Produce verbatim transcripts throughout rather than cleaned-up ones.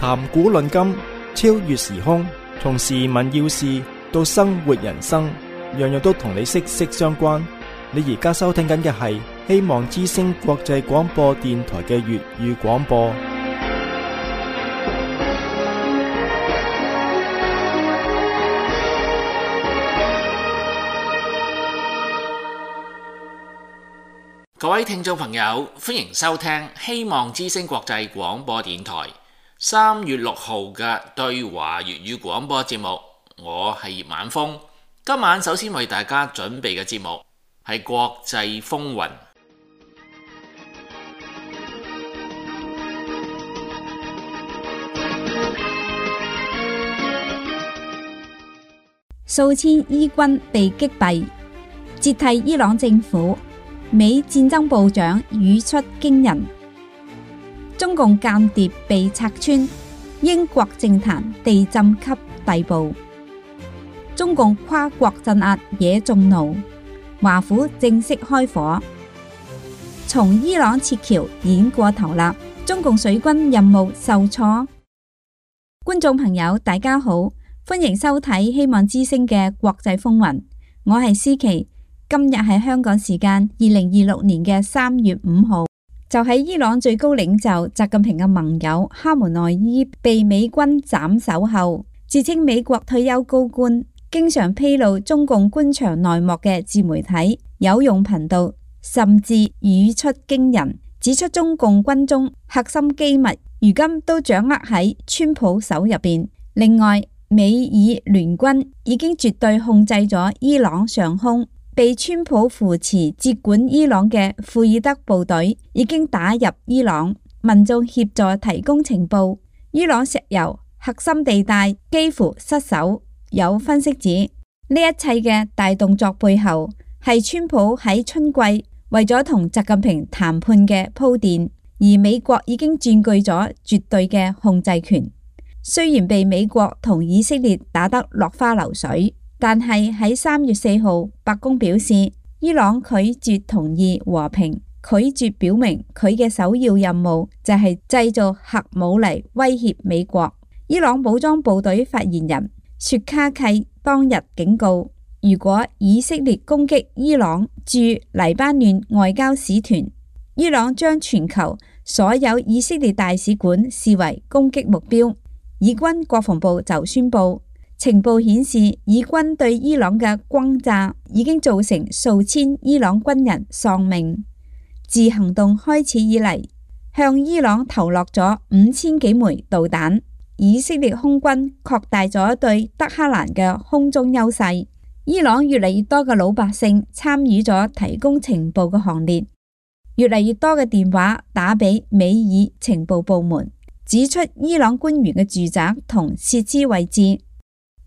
談古論今，超越時空，從時聞要事到生活人生，樣樣都同你息息相關。你而家收聽緊嘅係希望之聲國際廣播電台嘅粵語廣播。各位聽眾朋友，歡迎收聽希望之聲國際廣播電台三月六號嘅對華粵語廣播節目。我係葉晚風，今晚首先為大家準備嘅節目係國際風雲。數千伊軍被擊斃，接替伊朗政府。美戰爭部長語出驚人，中共間諜被拆穿，英國政壇地震級地步，中共跨國鎮壓惹眾怒，華府正式開火，從伊朗撤僑演過頭啦，中共水軍任務受挫。觀眾朋友大家好，歡迎收睇希望之聲嘅國際風雲，我係思琪。今日係香港時間二零二六年嘅三月五號，就喺伊朗最高領袖習近平嘅盟友哈梅內伊被美軍斬首後，自稱美國退休高官、經常披露中共官場內幕嘅自媒體有用頻道，甚至語出驚人，指出中共軍中核心機密如今都掌握喺川普手入邊。另外，美伊聯軍已經絕對控制咗伊朗上空。被川普扶持接管伊朗嘅庫爾德部隊已經打入伊朗，民眾協助提供情報。伊朗石油核心地帶幾乎失守。有分析指，呢一切嘅大動作背後係川普喺春季為咗同習近平談判嘅鋪墊，而美國已經佔據咗絕對嘅控制權。雖然被美國同以色列打得落花流水，但係喺三月四號，白宮表示，伊朗拒絕同意和平，拒絕表明佢嘅首要任務就係製造核武嚟威脅美國。伊朗武裝部隊發言人雪卡契當日警告，如果以色列攻擊伊朗駐黎巴嫩外交使團，伊朗將全球所有以色列大使館視為攻擊目標。以軍國防部就宣布，情報顯示，以軍對伊朗嘅轟炸已經造成數千伊朗軍人喪命。自行動開始以嚟，向伊朗投落咗五千幾枚導彈。以色列空軍擴大咗對德黑蘭嘅空中優勢。伊朗越嚟越多嘅老百姓參與咗提供情報嘅行列，越嚟越多嘅電話打俾美伊情報部門，指出伊朗官員嘅住宅同設施位置。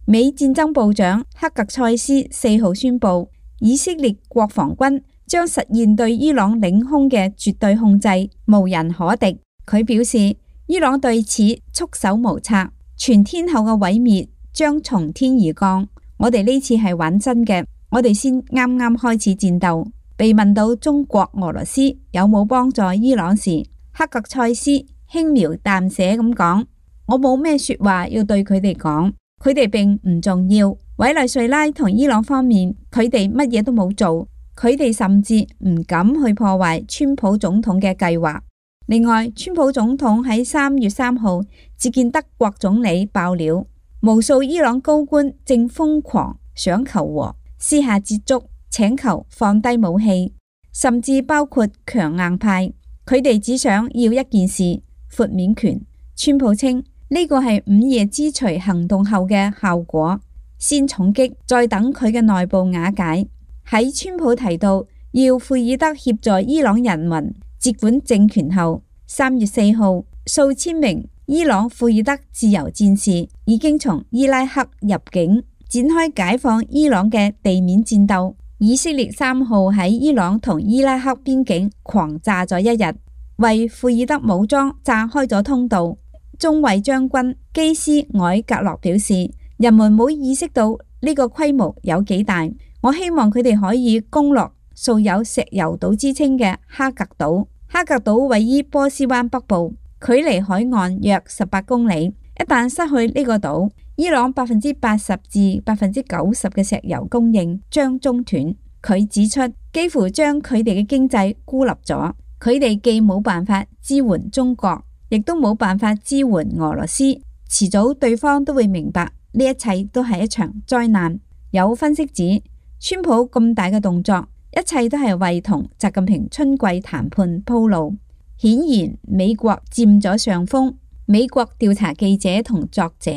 美戰爭部長克格塞斯四號宣布，以色列國防軍將實現對伊朗領空嘅絕對控制，無人可敵。佢表示，伊朗對此束手無策，全天候嘅毀滅將從天而降。我哋呢次係玩真嘅，我哋先啱啱開始戰鬥。被問到中國、俄羅斯有冇幫助伊朗時，克格塞斯輕描淡寫咁講：我冇咩說話要對佢哋講。佢哋並唔重要。委內瑞拉同伊朗方面，佢哋乜嘢都冇做，佢哋甚至唔敢去破壞川普總統嘅計劃。另外，川普總統喺三月三號接見德國總理爆料，無數伊朗高官正瘋狂想求和，私下接觸，請求放低武器，甚至包括強硬派，佢哋只想要一件事：豁免權。川普稱，呢個係午夜之錘行動後嘅效果，先重擊，再等佢嘅內部瓦解。喺川普提到要庫爾德協助伊朗人民接管政權後，三月四號，數千名伊朗庫爾德自由戰士已經從伊拉克入境，展開解放伊朗嘅地面戰鬥。以色列三號喺伊朗同伊拉克邊境狂炸咗一日，為庫爾德武裝炸開咗通道。中尉將軍基斯凱格洛表示，人們冇意識到呢個規模有幾大。我希望佢哋可以攻落素有石油島之稱嘅哈格島。哈格島位於波斯灣北部，距離海岸約十八公里。一旦失去呢個島，伊朗百分之八十至百分之九十嘅石油供應將中斷。佢指出，幾乎將佢哋嘅經濟孤立咗，佢哋既冇辦法支援中國，亦都冇辦法支援俄羅斯。遲早對方都會明白呢一切都係一場災難。有分析指，川普咁大嘅動作，一切都係為同習近平春季談判鋪路。顯然美國佔咗上風。美國調查記者同作者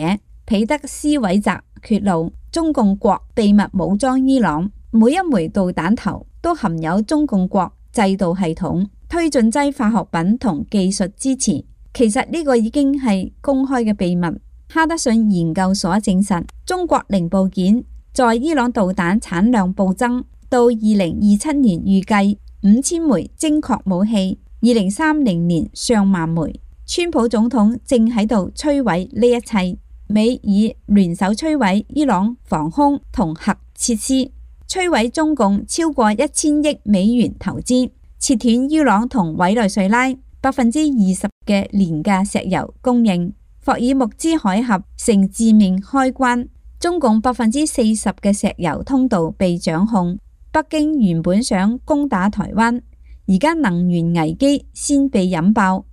彼得斯韋澤揭露，中共國秘密武裝伊朗，每一枚導彈頭都含有中共國制導系統、推進劑化學品同技術支持。其實呢個已經係公開嘅秘密。哈德遜研究所證實，中國零部件在伊朗導彈產量暴增，到二零二七年預計五千枚精確武器，二零三零年上萬枚。川普總統正喺度摧毀呢一切，美以聯手摧毀伊朗防空同核設施，摧毀中共超過一千億美元投資，切斷伊朗同委內瑞拉百分之二十嘅廉價石油供應。霍爾木茲海峽成致命開關，中共百分之四十嘅石油通道被掌控。北京原本想攻打台灣，而家能源危機先被引爆。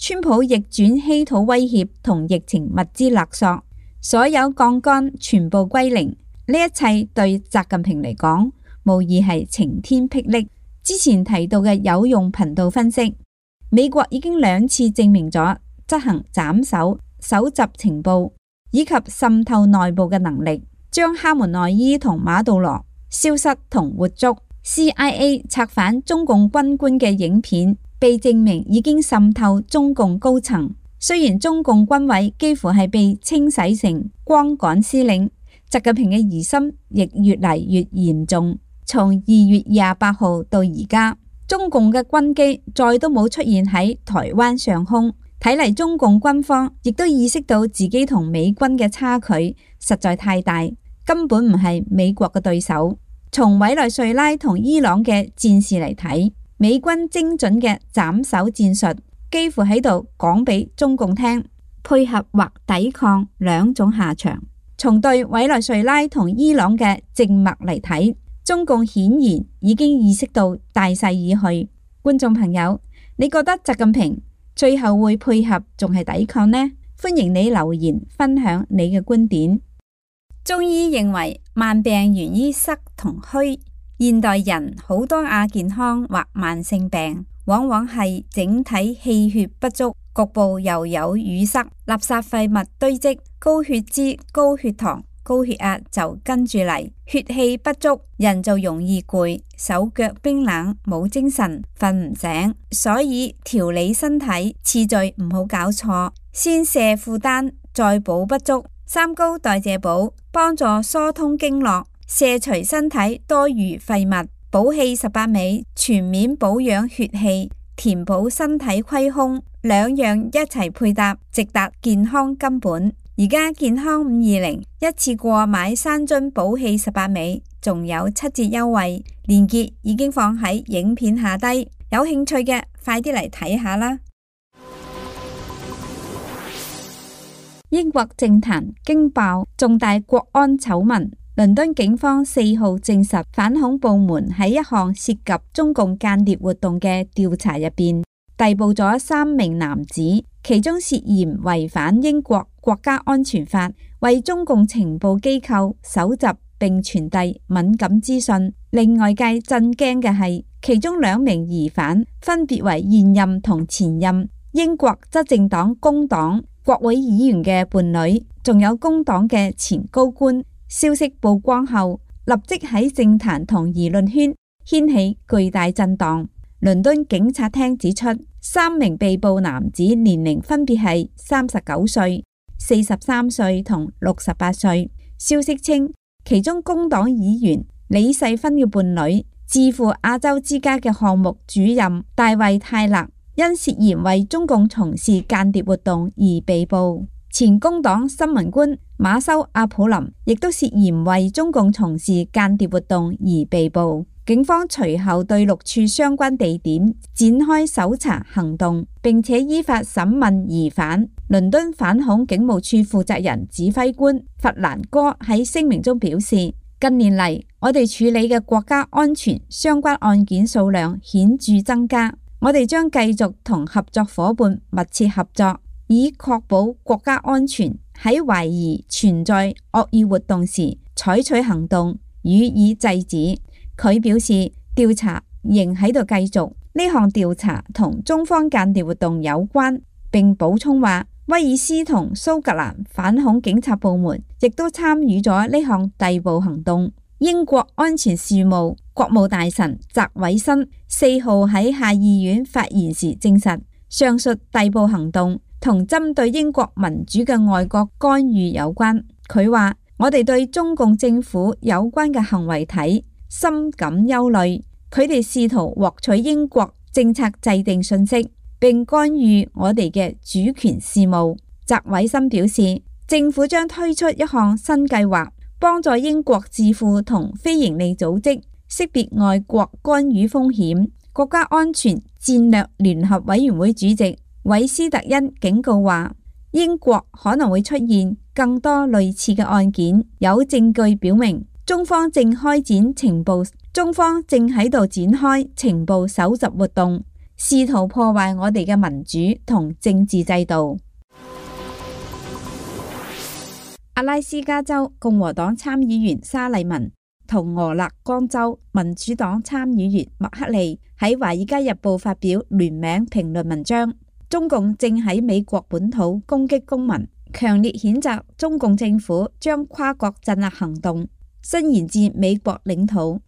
川普逆轉稀土威脅同疫情物資勒索，所有槓桿全部歸零。呢一切對習近平嚟講，無疑係晴天霹靂。之前提到嘅有用頻道分析，美國已經兩次證明咗執行斬首、搜集情報以及滲透內部嘅能力，將哈門內伊同馬杜羅消失同活捉。C I A 策反中共軍官嘅影片被證明已經滲透中共高層。雖然中共軍委幾乎係被清洗成光桿司令，習近平嘅疑心亦越嚟越嚴重。從二月廿八號到而家，中共嘅軍機再都冇出現喺台灣上空。睇嚟中共軍方亦都意識到自己同美軍嘅差距實在太大，根本唔係美國嘅對手。從委內瑞拉同伊朗嘅戰事嚟睇，美軍精準嘅斬首戰術幾乎喺度講俾中共聽，配合或抵抗兩種下場。從對委內瑞拉同伊朗嘅靜默嚟睇，中共顯然已經意識到大勢已去。觀眾朋友，你覺得習近平最後會配合仲係抵抗呢？歡迎你留言分享你嘅觀點。中醫認為慢病源於濕同虛，現代人好多亞健康或慢性病，往往係整體氣血不足，局部又有淤塞，垃圾廢物堆積，高血脂、高血糖、高血壓就跟住嚟，血氣不足，人就容易攰，手腳冰冷，冇精神，瞓唔醒。所以調理身體次序唔好搞錯，先卸負擔，再補不足。三高代謝補幫助疏通經絡，卸除身體多餘廢物。補氣十八味全面保養血氣，填補身體虧空，兩樣一齊配搭，直達健康根本。而家健康五二零一次過買三樽補氣十八味，仲有七折優惠，鏈接已經放喺影片下低，有興趣嘅快啲嚟睇下啦。英國政壇驚爆重大國安醜聞，倫敦警方四號證實，反恐部門喺一項涉及中共間諜活動嘅調查入邊，逮捕咗三名男子，其中涉嫌違反英國國家安全法，為中共情報機構搜集並傳遞敏感資訊。令外界震驚嘅係，其中兩名疑犯分別為現任同前任英國執政黨工黨國會議員嘅伴侶，仲有工黨嘅前高官。消息曝光後，立即喺政壇同輿論圈掀起巨大震盪。倫敦警察廳指出，三名被捕男子年齡分別係三十九歲、四十三歲同六十八歲。消息稱，其中工黨議員李世芬嘅伴侶，智庫亞洲之家嘅項目主任大衛泰勒，因涉嫌為中共從事間諜活動而被捕。前工黨新聞官馬修阿普林亦都涉嫌為中共從事間諜活動而被捕。警方隨後對六處相關地點展開搜查行動，並且依法審問疑犯。倫敦反恐警務處負責人指揮官弗蘭哥喺聲明中表示，近年嚟，我哋處理嘅國家安全相關案件數量顯著增加，我哋將繼續同合作夥伴密切合作，以確保國家安全，喺懷疑存在惡意活動時採取行動，予以制止。佢表示調查仍喺度繼續，呢項調查同中方間諜活動有關，並補充話威爾斯同蘇格蘭反恐警察部門亦都參與咗呢項逮捕行動。英國安全事務國務大臣澤偉森四號喺下議院發言時證實，上述逮捕行動同針對英國民主嘅外國干預有關。佢話我哋對中共政府有關嘅行為體深感憂慮，佢哋試圖獲取英國政策制定信息，並干預我哋嘅主權事務。澤偉森表示，政府將推出一項新計劃，幫助英國智庫同非營利組織識別外國干預風險。國家安全戰略聯合委員會主席韋斯特恩警告話，英國可能會出現更多類似嘅案件，有證據表明中方正開展情報，中方正喺度展開情報搜集活動，試圖破壞我哋嘅民主同政治制度。阿拉斯加州共和黨參議員沙利文同俄勒岡州民主黨參議員麥克利喺《華爾街日報》發表聯名評論文章，中共正喺美國本土攻擊公民，強烈譴責中共政府將跨國鎮壓行動伸延至美國領土，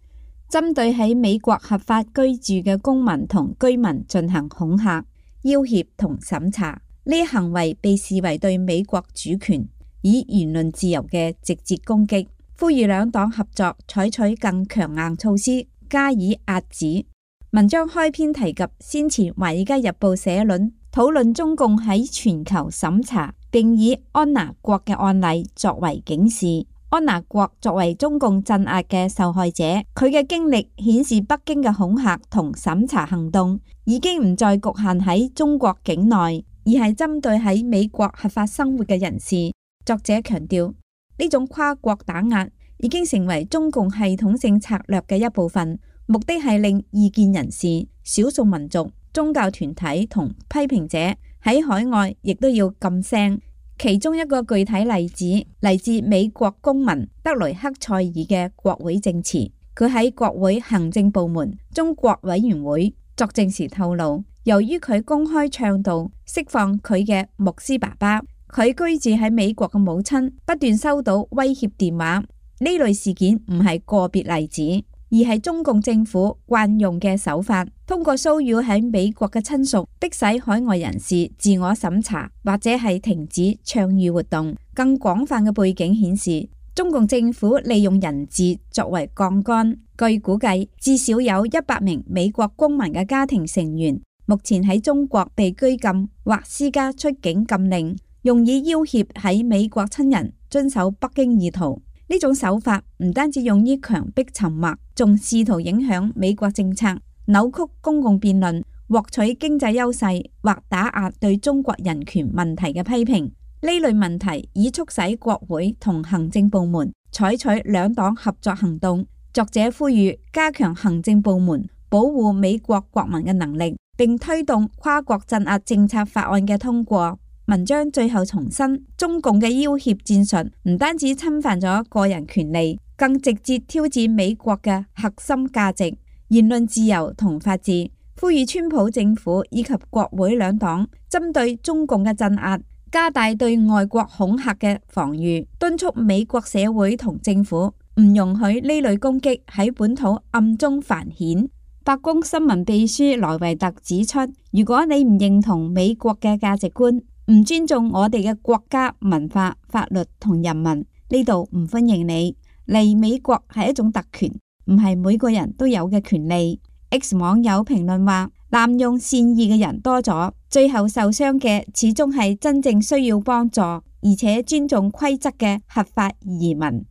針對喺美國合法居住嘅公民同居民進行恐嚇、要挾同審查。呢一行為被視為對美國主權以言論自由嘅直接攻擊，呼籲兩黨合作採取更強硬措施加以壓止。文章開篇提及先前《華爾街日報》社論討論中共喺全球審查，並以安娜國嘅案例作為警示。安娜國作為中共鎮壓嘅受害者，佢嘅經歷顯示北京嘅恐嚇同審查行動已經唔再局限喺中國境內，而係針對喺美國合法生活嘅人士。作者強調，呢種跨國打壓已經成為中共系統性策略嘅一部分，目的係令異見人士、少數民族、宗教團體同批評者喺海外亦都要噤聲。其中一個具體例子嚟自美國公民德雷克塞爾嘅國會證詞，佢喺國會行政部門中國委員會作證時透露，由於佢公開倡導釋放佢嘅牧師爸爸，佢居住喺美國嘅母親不斷收到威脅電話。呢類事件唔係個別例子，而係中共政府慣用嘅手法，通過騷擾喺美國嘅親屬，迫使海外人士自我審查或者係停止倡議活動。更廣泛嘅背景顯示，中共政府利用人質作為槓桿。據估計，至少有一百名美國公民嘅家庭成員目前喺中國被拘禁或施加出境禁令，用以要挾喺美國親人遵守北京意圖。呢種手法唔單止用於強迫沉默，仲試圖影響美國政策，扭曲公共辯論，獲取經濟優勢或打壓對中國人權問題嘅批評。呢類問題已促使國會同行政部門採取兩黨合作行動。作者呼籲加強行政部門保護美國國民嘅能力，並推動跨國鎮壓政策法案嘅通過。文章最後重申，中共嘅要挾戰術唔單止侵犯咗個人權利，更直接挑戰美國嘅核心價值、言論自由同法治。呼籲川普政府以及國會兩黨針對中共嘅鎮壓，加大對外國恐嚇嘅防禦，敦促美國社會同政府唔容許呢類攻擊喺本土暗中繁衍。白宮新聞秘書萊維特指出，如果你唔認同美國嘅價值觀，唔尊重我哋嘅國家文化、法律同人民，呢度唔歡迎你。嚟美國係一種特權，唔係每個人都有嘅權利。X 網友評論話，濫用善意嘅人多咗，最後受傷嘅始終係真正需要幫助而且尊重規則嘅合法移民。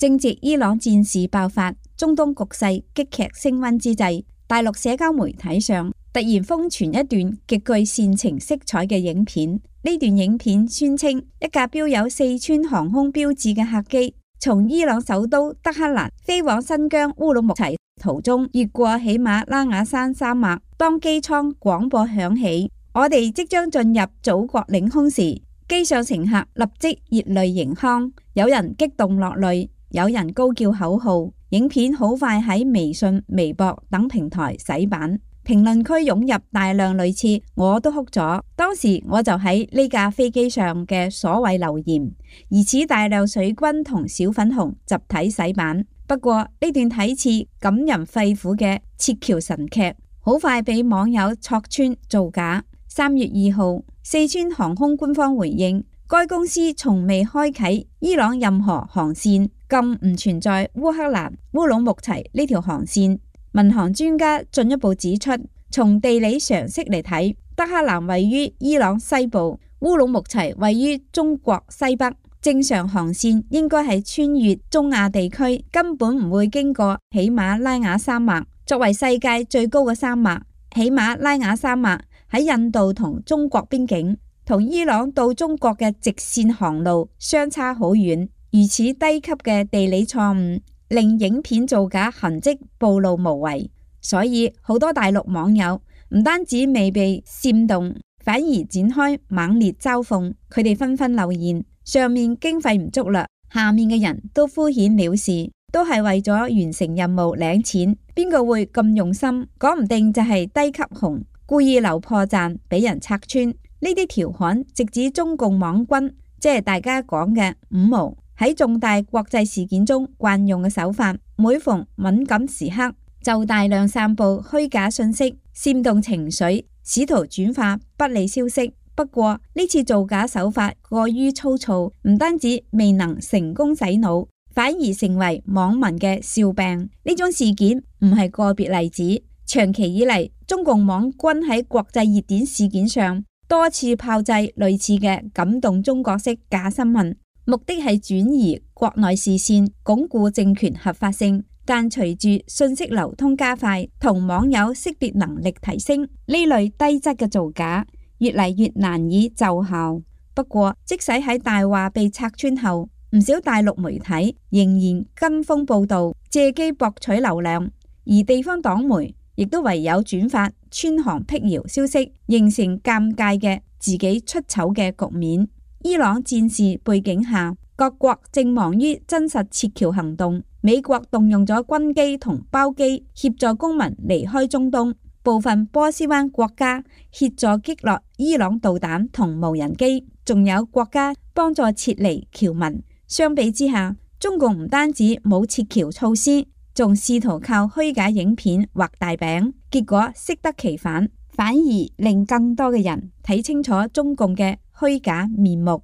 正值伊朗戰事爆發，中東局勢激劇升溫之際，大陸社交媒體上突然瘋傳一段極具煽情色彩嘅影片。呢段影片宣稱一架標有四川航空標誌嘅客機從伊朗首都德黑蘭飛往新疆烏魯木齊途中，越過喜馬拉雅山山脈。當機艙廣播響起，我哋即將進入祖國領空時，機上乘客立即熱淚盈眶，有人激動落淚，有人高叫口號。影片好快喺微信、微博等平台洗版，評論區湧入大量類似我都哭咗，當時我就喺呢架飛機上嘅所謂留言，疑似大量水軍同小粉紅集體洗版。不過呢段睇似感人肺腑嘅撤僑神劇，好快被網友戳穿造假。三月二號，四川航空官方回應，該公司從未開啟伊朗任何航線，更唔存在烏克蘭烏魯木齊呢條航線。民航專家進一步指出，從地理常識嚟睇，德黑蘭位於伊朗西部，烏魯木齊位於中國西北，正常航線應該係穿越中亞地區，根本唔會經過喜馬拉雅山脈。作為世界最高嘅山脈，喜馬拉雅山脈喺印度同中國邊境，同伊朗到中國嘅直線航路相差好遠。如此低級嘅地理錯誤，令影片造假痕跡暴露無遺。所以好多大陸網友唔單止未被煽動，反而展開猛烈嘲諷。佢哋紛紛留言：上面經費唔足啦，下面嘅人都敷衍了事，都係為咗完成任務領錢，邊個會咁用心？講唔定就係低級紅，故意留破綻俾人拆穿。呢啲調侃直指中共網軍，即係大家講嘅五毛，喺重大國際事件中慣用嘅手法。每逢敏感時刻，就大量散布虛假信息，煽動情緒，試圖轉化不利消息。不過呢次造假手法過於粗糙，唔單止未能成功洗腦，反而成為網民嘅笑柄。呢種事件唔係個別例子，長期以嚟，中共網軍喺國際熱點事件上多次炮製類似嘅感動中國式假新聞，目的係轉移國內視線，鞏固政權合法性。但隨住信息流通加快，同網友識別能力提升，呢類低質嘅造假越嚟越難以奏效。不過，即使喺大話被拆穿後，唔少大陸媒體仍然跟風報道，借機博取流量，而地方黨媒亦都唯有轉發穿航闢謠消息，形成尷尬嘅自己出醜嘅局面。伊朗戰事背景下，各國正忙於真實撤僑行動。美國動用咗軍機同包機協助公民離開中東，部分波斯灣國家協助擊落伊朗導彈同無人機，仲有國家幫助撤離僑民。相比之下，中共唔單止冇撤僑措施，仲試圖靠虛假影片畫大餅，結果適得其反，反而令更多嘅人睇清楚中共嘅虛假面目。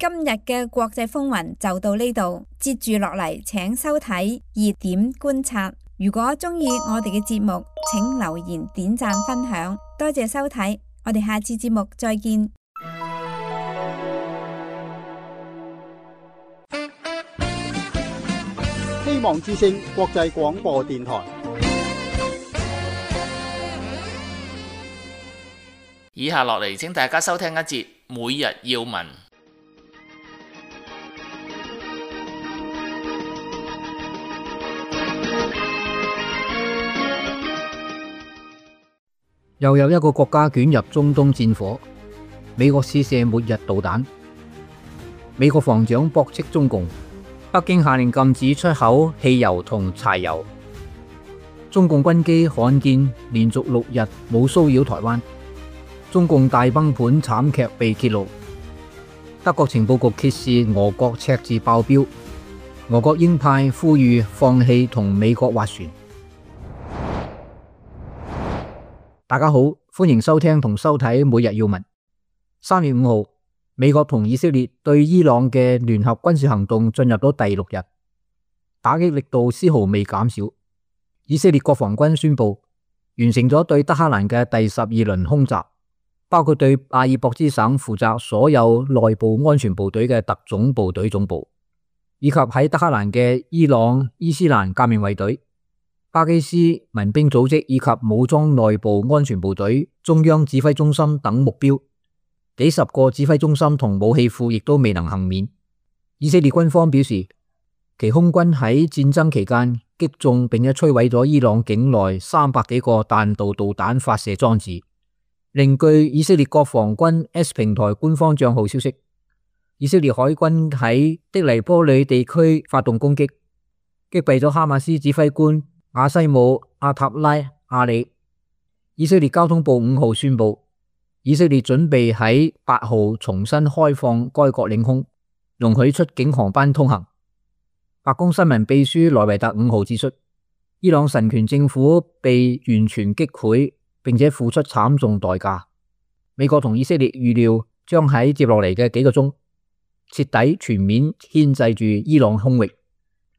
今日嘅國際風雲就到呢度，接住落嚟請收睇熱點觀察。如果中意我哋嘅節目，請留言、點讚、分享，多謝收睇，我哋下次節目再見。希望之聲國際廣播電台。以下落嚟，請大家收聽一節每日要聞。又有一個國家捲入中東戰火，美國試射末日導彈。美國防長駁斥中共，北京下令禁止出口汽油同柴油。中共軍機罕見連續六日冇騷擾台灣。中共大崩盤慘劇被揭露。德國情報局揭示俄國赤字爆表。俄國鷹派呼籲放棄同美國斡旋。大家好，歡迎收聽同收睇每日要聞。三月五號，美國同以色列對伊朗嘅聯合軍事行動進入咗第六日，打擊力度絲毫未減少。以色列國防軍宣布完成咗對德黑蘭嘅第十二輪空襲，包括對阿爾博茲省負責所有內部安全部隊嘅特種部隊總部，以及喺德黑蘭嘅伊朗伊斯蘭革命衛隊、巴基斯民兵組織以及武裝內部安全部隊中央指揮中心等目標。幾十個指揮中心同武器庫亦都未能幸免。以色列軍方表示，其空軍喺戰爭期間擊中並且摧毀咗伊朗境內三百幾個彈道導彈發射裝置。另據以色列國防軍 X 平台官方賬號消息，以色列海軍喺的黎波里地區發動攻擊，擊斃咗哈馬斯指揮官亞西姆阿塔拉阿里。以色列交通部五號宣布，以色列準備喺八號重新開放該國領空，容許出境航班通行。白宮新聞秘書萊維特五號指出，伊朗神權政府被完全擊潰，並且付出慘重代價。美國同以色列預料將喺接落嚟嘅幾個鐘徹底全面牽制住伊朗空域。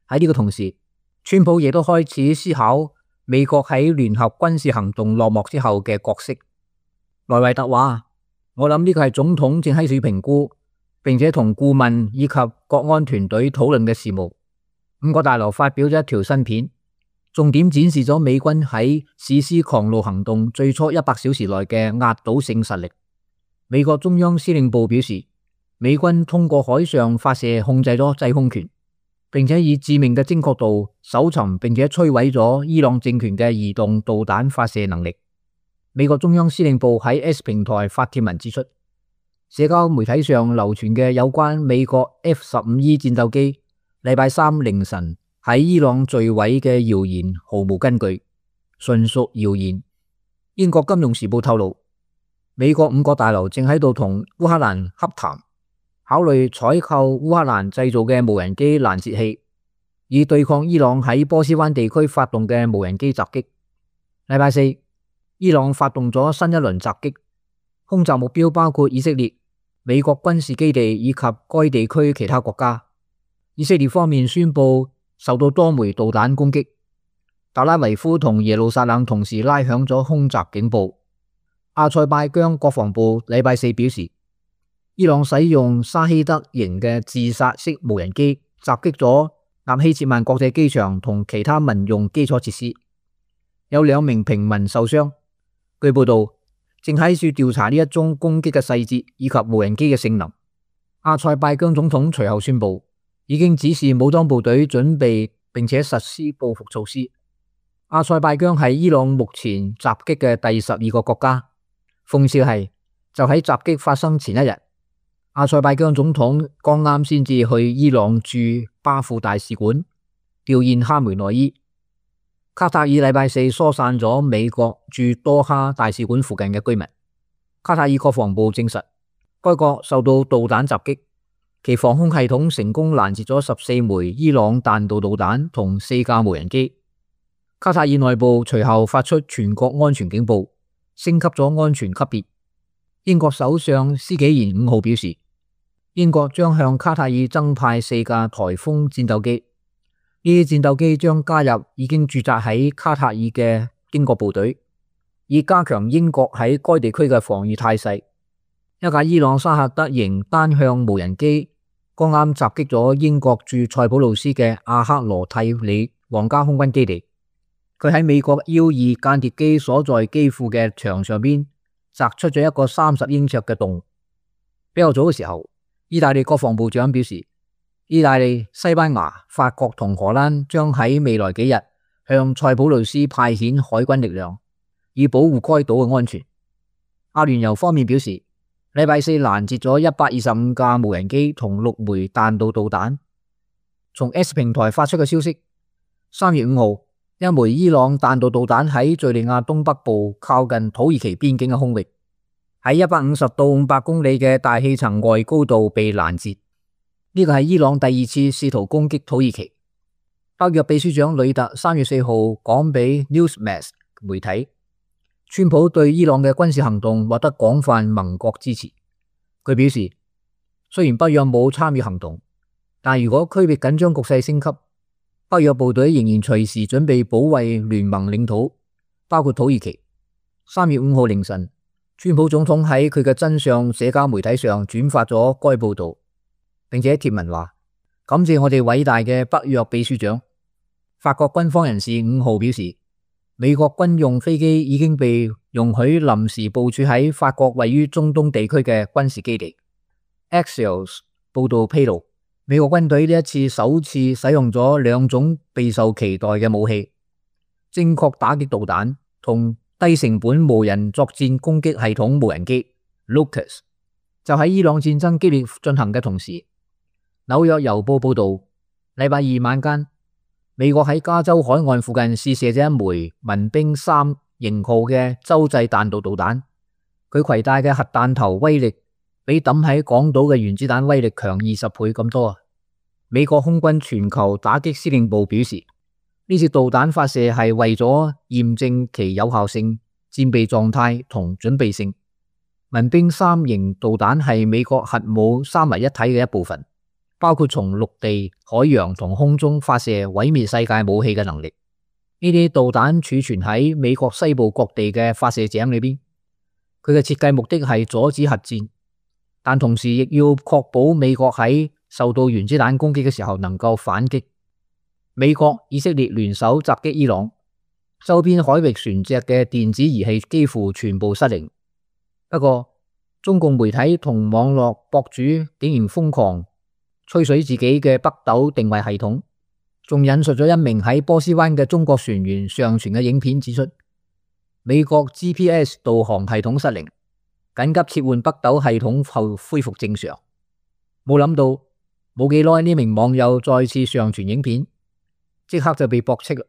喺呢個同時，川普亦都開始思考美國喺聯合軍事行動落幕之後嘅角色。萊維特話：我諗呢個係總統正喺度評估，並且同顧問以及國安團隊討論嘅事務。五角大樓發表咗一條新片，重點展示咗美軍喺史詩狂怒行動最初一百小時內嘅壓倒性實力。美國中央司令部表示，美軍通過海上發射控制咗制空權，並且以致命嘅精確度搜尋並且摧毀咗伊朗政權嘅移動導彈發射能力。美國中央司令部喺 X 平台發帖文指出，社交媒體上流傳嘅有關美國 F 十五 E 戰鬥機禮拜三凌晨喺伊朗墜毀嘅謠言毫無根據，純屬謠言。英國金融時報透露，美國五角大樓正喺度同烏克蘭洽談，考慮採購烏克蘭製造嘅無人機攔截器，以對抗伊朗喺波斯灣地區發動嘅無人機襲擊。禮拜四，伊朗發動咗新一輪襲擊，空襲目標包括以色列、美國軍事基地以及該地區其他國家。以色列方面宣布受到多枚導彈攻擊，特拉維夫同耶路撒冷同時拉響咗空襲警報。阿塞拜疆國防部禮拜四表示，伊朗使用沙希德型嘅自殺式無人機襲擊咗納希切曼國際機場同其他民用基礎設施，有兩名平民受傷。據報道，正喺處調查呢一宗攻擊嘅細節以及無人機嘅性能。阿塞拜疆總統隨後宣布，已經指示武裝部隊準備並且實施報復措施。阿塞拜疆係伊朗目前襲擊嘅第十二個國家。諷刺係，就喺襲擊發生前一日，阿塞拜疆總統剛啱先至去伊朗駐巴庫大使館弔唁哈梅內伊。卡塔爾禮拜四疏散咗美國駐多哈大使館附近嘅居民。卡塔爾國防部證實，該國受到導彈襲擊，其防空系統成功攔截咗十四枚伊朗彈道導彈同四架無人機。卡塔爾內部隨後發出全國安全警報，升級咗安全級別。英國首相施紀賢五號表示，英國將向卡塔爾增派四架颱風戰鬥機，呢啲戰鬥機將加入已經駐紮喺卡塔爾嘅英國部隊，以加強英國喺該地區嘅防禦態勢。一架伊朗沙赫德型單向無人機剛啱襲擊咗英國駐塞浦路斯嘅阿克羅蒂里皇家空軍基地，佢喺美國 U 二間諜機所在機庫嘅牆上邊砸出咗一個三十英尺嘅洞。比較早嘅時候，意大利國防部長表示，意大利、西班牙、法國同荷蘭將喺未來幾日向塞浦路斯派遣海軍力量，以保護該島嘅安全。阿聯酋方面表示，禮拜四攔截咗一百二十五架無人機同六枚彈道導彈。從 X 平台發出嘅消息，三月五號，一枚伊朗彈道導彈喺敘利亞東北部靠近土耳其邊境嘅空域，喺一百五十到五百公里嘅大氣層外高度被攔截。呢個係伊朗第二次試圖攻擊土耳其。北約秘書長呂特三月四號講俾 Newsmax 媒體，川普對伊朗嘅軍事行動獲得廣泛盟國支持。佢表示，雖然北約冇參與行動，但如果區域緊張局勢升級，北約部隊仍然隨時準備保衛聯盟領土，包括土耳其。三月五號凌晨，川普總統喺佢嘅真相社交媒體上轉發咗該報道，並且貼文話：感謝我哋偉大嘅北約秘書長。法國軍方人士五號表示，美國軍用飛機已經被容許臨時部署喺法國位於中東地區嘅軍事基地。Axios 報道披露，美國軍隊呢一次首次使用咗兩種備受期待嘅武器：精確打擊導彈同低成本無人作戰攻擊系統無人機 Lucas。 就喺伊朗戰爭激烈進行嘅同時，紐約郵報報道，禮拜二晚間，美國喺加州海岸附近試射咗一枚民兵三型號嘅洲際彈道導彈，佢攜帶嘅核彈頭威力比抌喺港島嘅原子彈威力強二十倍咁多啊！美國空軍全球打擊司令部表示，呢次導彈發射係為咗驗證其有效性、戰備狀態同準備性。民兵三型導彈係美國核武三位一體嘅一部分，包括從陸地、海洋同空中發射毀滅世界武器嘅能力。呢啲導彈儲存喺美國西部各地嘅發射井裏邊，佢嘅設計目的係阻止核戰，但同時亦要確保美國喺受到原子彈攻擊嘅時候能夠反擊。美國、以色列聯手襲擊伊朗，周邊海域船隻嘅電子儀器幾乎全部失靈。不過，中共媒體同網絡博主竟然瘋狂吹水自己嘅北斗定位系統，仲引述咗一名喺波斯灣嘅中國船員上傳嘅影片，指出美國 G P S 導航系統失靈，緊急切換北斗系統後恢復正常。冇諗到冇幾耐，呢名網友再次上傳影片，即刻就被駁斥啦，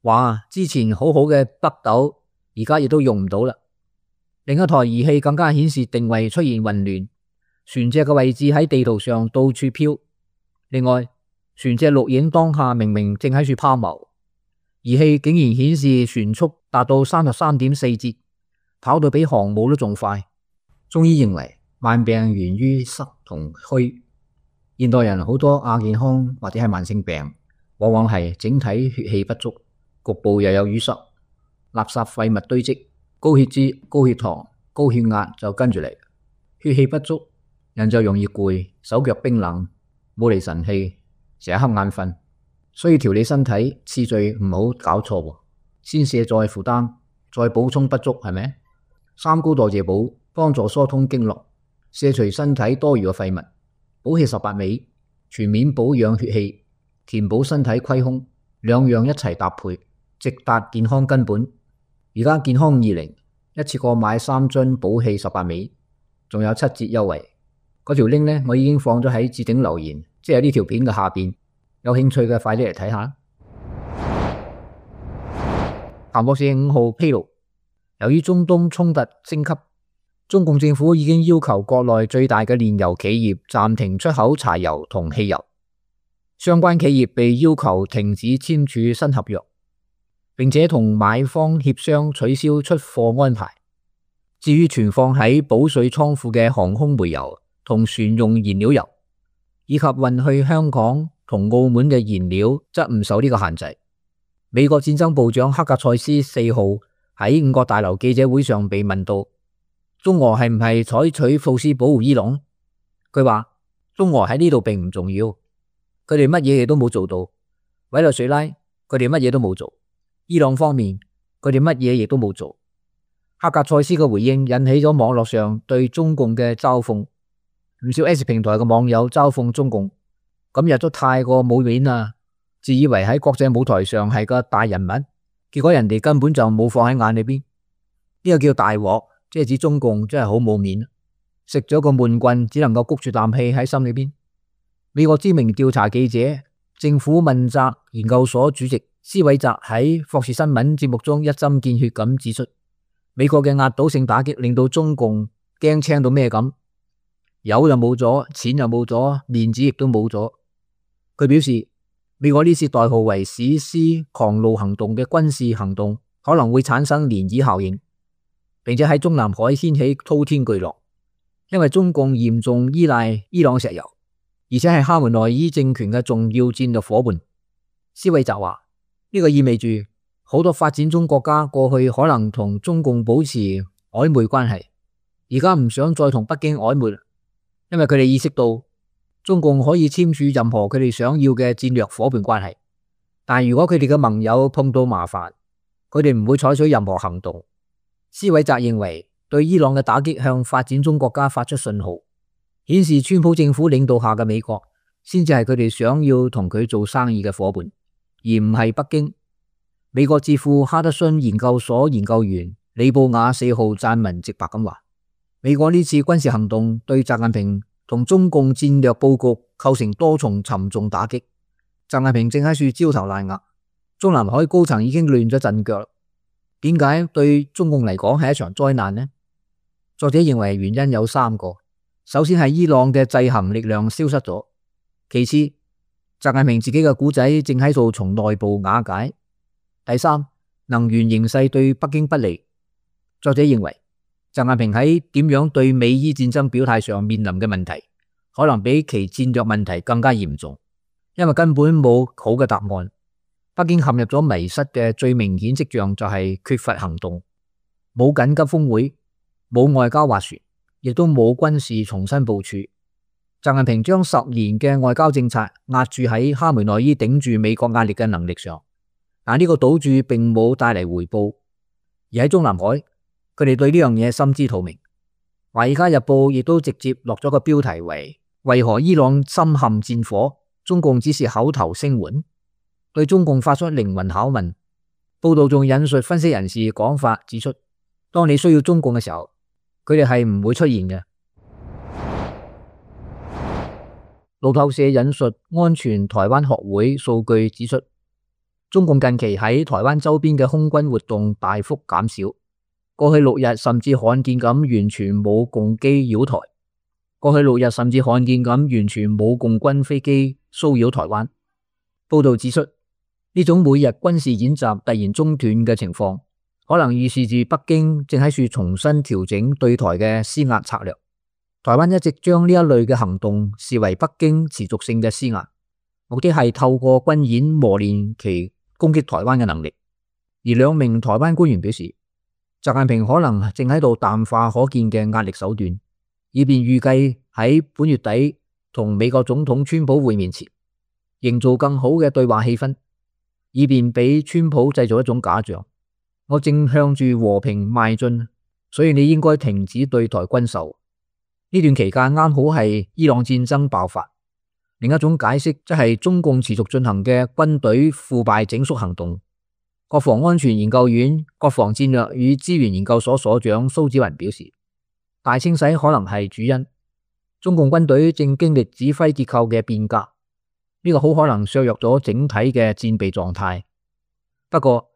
話之前好好嘅北斗而家亦都用唔到啦。另一台儀器更加顯示定位出現混亂，船隻嘅位置喺地圖上到處飄。另外，船隻錄影當下明明正喺處拋錨，儀器竟然顯示船速達到三十三點四節，跑到比航母都仲快。中醫認為萬病源於濕同虛，現代人好多亞健康或者係慢性病，往往係整體血氣不足，局部又有淤塞，垃圾廢物堆積，高血脂、高血糖、高血壓就跟住嚟。血氣不足，人就容易攰，手腳冰冷，冇嚟神氣，成日瞌眼瞓。所以調理身體次序唔好搞錯，先卸再負擔，再補充不足，係咪？三高代謝補幫助疏通經絡，卸除身體多餘嘅廢物，補氣十八味，全面保養血氣，填補身體虧空，兩樣一齊搭配，直達健康根本。而家健康二零一次過買三樽補氣十八味，仲有七折優惠。嗰條 link 呢，我已經放咗喺置頂留言，即係呢條片嘅下邊。有興趣嘅快啲嚟睇下。彭博社五號披露，由於中東衝突升級，中共政府已經要求國內最大嘅煉油企業暫停出口柴油同汽油，相關企業被要求停止簽署新合約，並且同買方協商取消出貨安排。至於存放喺保稅倉庫嘅航空煤油同船用燃料油，以及運去香港同澳門嘅燃料，則唔受呢個限制。美國戰爭部長克格塞斯四號喺五角大樓記者會上被問到，中俄係唔係採取措施保護伊朗？佢話中俄喺呢度並唔重要，佢哋乜嘢嘢都冇做到。委內瑞拉佢哋乜嘢都冇做，伊朗方面佢哋乜嘢亦都冇做。克格塞斯嘅回應引起咗網絡上對中共嘅嘲諷，唔少 S 平台嘅網友嘲諷中共今日都太過冇面啦，自以為喺國際舞台上係個大人物，結果人哋根本就冇放喺眼裏邊。呢個叫大鑊，即係指中共真係好冇面，食咗個悶棍，只能夠谷住啖氣喺心裏邊。美國知名調查記者、政府問責研究所主席施韋澤喺霍士新聞節目中一針見血咁指出，美國嘅壓倒性打擊令到中共驚青到咩咁，油就冇咗，錢又冇咗，面子亦都冇咗。佢表示，美國呢次代號為史詩狂怒行動嘅軍事行動可能會產生漣漪效應，並且喺中南海掀起滔天巨浪，因為中共嚴重依賴伊朗石油，而且係哈梅內伊政權嘅重要戰略夥伴。施韋澤話，呢個意味住好多發展中國家過去可能同中共保持曖昧關係，而家唔想再同北京曖昧，因為佢哋意識到中共可以簽署任何佢哋想要嘅戰略夥伴關係，但如果佢哋嘅盟友碰到麻煩，佢哋唔會採取任何行動。施韋澤認為，對伊朗嘅打擊向發展中國家發出信號，顯示川普政府領導下嘅美國先至係佢哋想要同佢做生意嘅夥伴，而唔係北京。美國智庫哈德遜研究所研究員李布雅四號撰文直白咁話，美國呢次軍事行動對習近平同中共戰略佈局構成多重沉重打擊。習近平正喺處焦頭爛額，中南海高層已經亂咗陣腳。點解對中共嚟講係一場災難呢？作者認為原因有三個。首先係伊朗嘅制衡力量消失咗，其次習近平自己嘅故仔正喺度從內部瓦解，第三能源形勢對北京不利。作者認為習近平喺點樣對美伊戰爭表態上面臨嘅問題，可能比其戰略問題更加嚴重，因為根本冇好嘅答案。北京陷入咗迷失嘅最明顯跡象就係缺乏行動，冇緊急峰會，冇外交斡旋，亦都冇軍事重新部署。習近平將十年嘅外交政策壓住喺哈梅內伊頂住美國壓力嘅能力上，但呢個賭注並冇帶嚟回報。而喺中南海，佢哋對呢樣嘢心知肚明。華爾街日報亦都直接落咗個標題為為何伊朗深陷戰火，中共只是口頭聲援，對中共發出靈魂拷問。報道仲引述分析人士講法，指出當你需要中共嘅時候，佢哋係唔會出現嘅。路透社引述安全台灣學會數據指出，中共近期喺台灣周邊嘅空軍活動大幅減少，過去六日甚至罕見咁完全冇共機擾台，過去六日甚至罕見咁完全冇共軍飛機騷擾台灣。報道指出，呢種每日軍事演習突然中斷嘅情況，可能預示住北京正喺處重新調整對台嘅施壓策略。台灣一直將呢一類嘅行動視為北京持續性嘅施壓，目的係透過軍演磨練其攻擊台灣嘅能力。而兩名台灣官員表示，習近平可能正喺度淡化可見嘅壓力手段，以便預計喺本月底同美國總統川普會面前，營造更好嘅對話氣氛，以便俾川普製造一種假象，我正向住和平邁進，所以你應該停止對台軍售。呢段期間啱好係伊朗戰爭爆發。另一種解釋則係中共持續進行嘅軍隊腐敗整肅行動。國防安全研究院國防戰略與資源研究所所長蘇紫雲表示，大清洗可能係主因。中共軍隊正經歷指揮結構嘅變革，呢個好可能削弱咗整體嘅戰備狀態。不過，